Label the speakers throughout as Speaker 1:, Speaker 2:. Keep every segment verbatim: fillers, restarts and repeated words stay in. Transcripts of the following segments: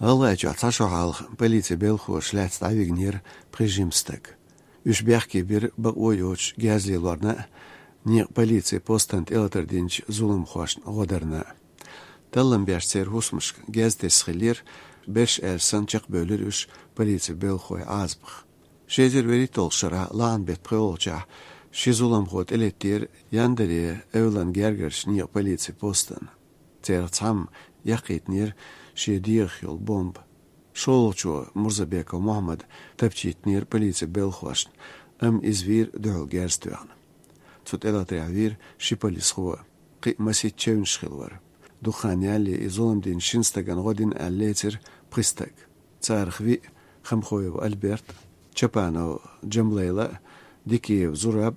Speaker 1: Allah jo tashohal politsiya belxoş läts avignir prejimstek. Üç bähki bir baq oyoç gazlilarna ni politsiya postant elterdinç zulüm xoş godarna. Tallan berser husmuş gazdes xilir beş elsan çaq bölür üç politsiya belxoy azbıq. Şezer veri tolşara lan bet preolça şi zulüm xot elettir yandere evlan gergerş ni politsiya postan. Tertsam yaqitnir şediyx yol bomb. Şolço Murzabekov Muhammed tapçitnir politsiya belxoş am izvir döl gerstüan. Tut elatravir şi polis xo qi masit çevnşxil var. Duxanyali izolum din şinstagan godin alletir pristak. Tsarxvi Xamxoyev Albert Çapano Cemleyla Dikiyev Zurab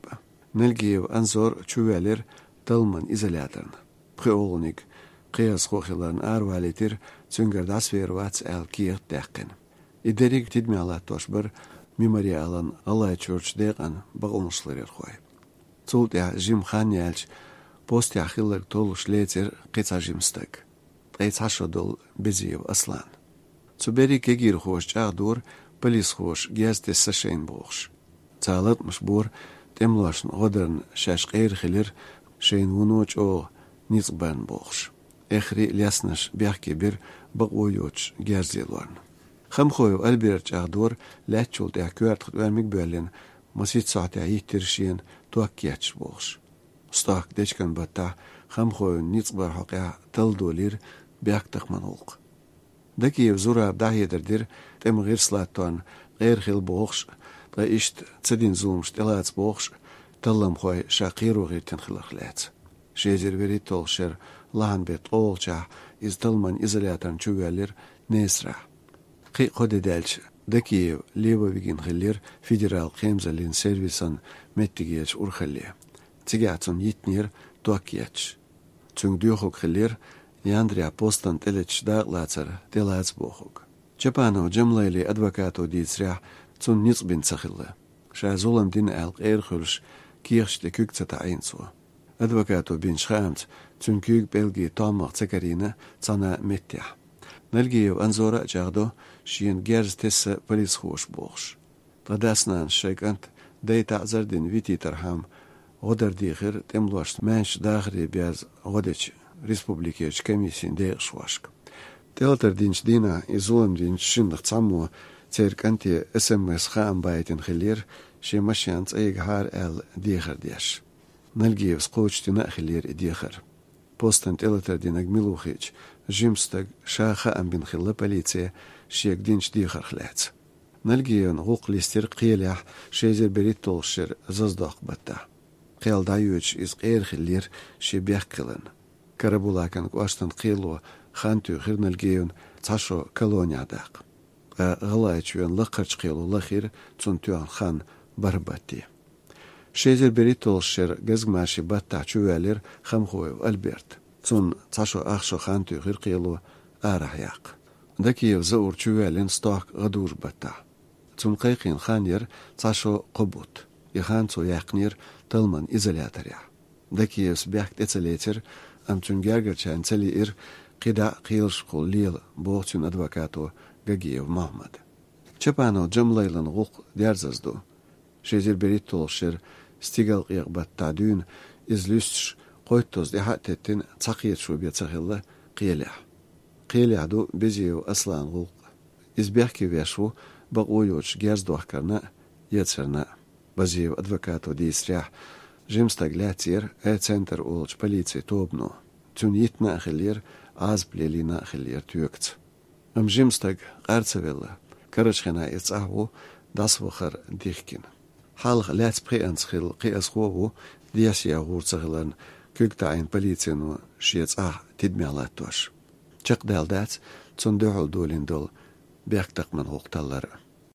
Speaker 1: Nelgiyev Anzor Çuvelir Talman izolatorn. Preolnik qiyas xoxilan arvalitir Züngerdas vervats el kiert deqqin. İderik tidmialat toşbir memorialan Allah Church deqan bağılmışlar xoy. Zult ya Jim Khanyalch post ya xillik toluş letir qitsa jimstak. Qitsa şodol Beziyev Aslan. Zuberi kegir xoş çağdur polis xoş gezde saşeyn boğş. Çağlatmış bor temlaşın odern şaşqer xilir şeyin vunoç o nizban boğş. Ehri lyasnaş bähki bir baq oyoç gerzilarn. Xamxoyev Albert çağdur läçol ya kvart vermek böllen masit saate yitirşin tuakyaç boğş. Stak deçkan batta Xamxoyev nizbar haqya taldolir bäk taqman olq. Dakiyev Zurab dahyedirdir tem girslatton g'er xil boğş da işt tsadin zulm stelats boğş tallam xoy shaqiru g'etin xilaqlats. Şezer veri tolşer lan bet olça iz talman izolatorn çuvelir nesra. Qi qodedelç Dakiyev Levovigin xillir federal qemzalin servisan mettigeç urxalli. Tigatsun yitnir tuakyaç. Çün dyoxuk xillir Yandria postan teleç dağlatsar telats boxuk. Çapano Cemleyli advokato ditsra çün nitsbin saxilli. Şazulam din alq erxulş kirchte küktsata aynsu. Advokato bin Schramt çünkü belgi tamaq Zakarina sana mettya. Nelgiyev Anzora çağdo şiyen gerz tessa polis xoş boğş. Tadasnan şeykant deyta zardin viti tarham odar dixir temloş menş dağri biraz odeç Respublikeç komissin deyxşvaşk. Teatr dinç dina izolum dinç şindıq çammo cerkanti S M S xam baytin xilir şemaşyans eghar el dixir diyaş. Nelgiyev skoçtina xilir dixir. Postant teatr dinag miluxiç jimstag şaxa ambin xilla politsiya şek dinç dixir xlats. Nelgiyevn huquq lister qiyalah şezer berit tolşir zazdaq batta. Qiyaldayuç iz qeyr xilir şebyak qilin. Karabulakan qashtan qilo xantu xirnelgeyun tasho koloniyadaq. G'alaychun laqarch qilo laxir tsuntuan xan barbati. Şezer beritolşer gazmashi batta çuvelir Xamxoyev Albert. Tsun tasho axsho xantu xir qilo arahyaq. Dakiyev zaur çuvelin stok gadur batta. Tsun qayqin xanyer tasho qobut. Yaxanso yaqnir talman izolatorya. Dakiyev sbekt etseletir Amçun gergerçen çeli ir qida qiyılş qollil boğçun advokato Gagiyev Mahmud. Çapano Cemleylan huquq derzazdu. Şezer berit tolşer stigal qiyaqbat tadün izlüstş qoytoz dehatettin çaqiyet şubiyet saxilla qiyalah. Qiyalahdu Beziyev Aslan huquq. İzbehki veşu baq oyoç gerzdohkarna yetserna. Beziyev advokato disrah Jimstag lätsir e-center olç politsiya tobno. Tün yitna xilir az plelina xilir tüyökts. Am Jimstag qartsavella. Karachxina etsahu das waxar dixkin. Halq läts preans xil qias xovu diasya gurtsagilan küktayn politsiyanu shiets ah tidmialatosh. Çaqdaldats tsun dohol dolindol berktaqman huqtallar.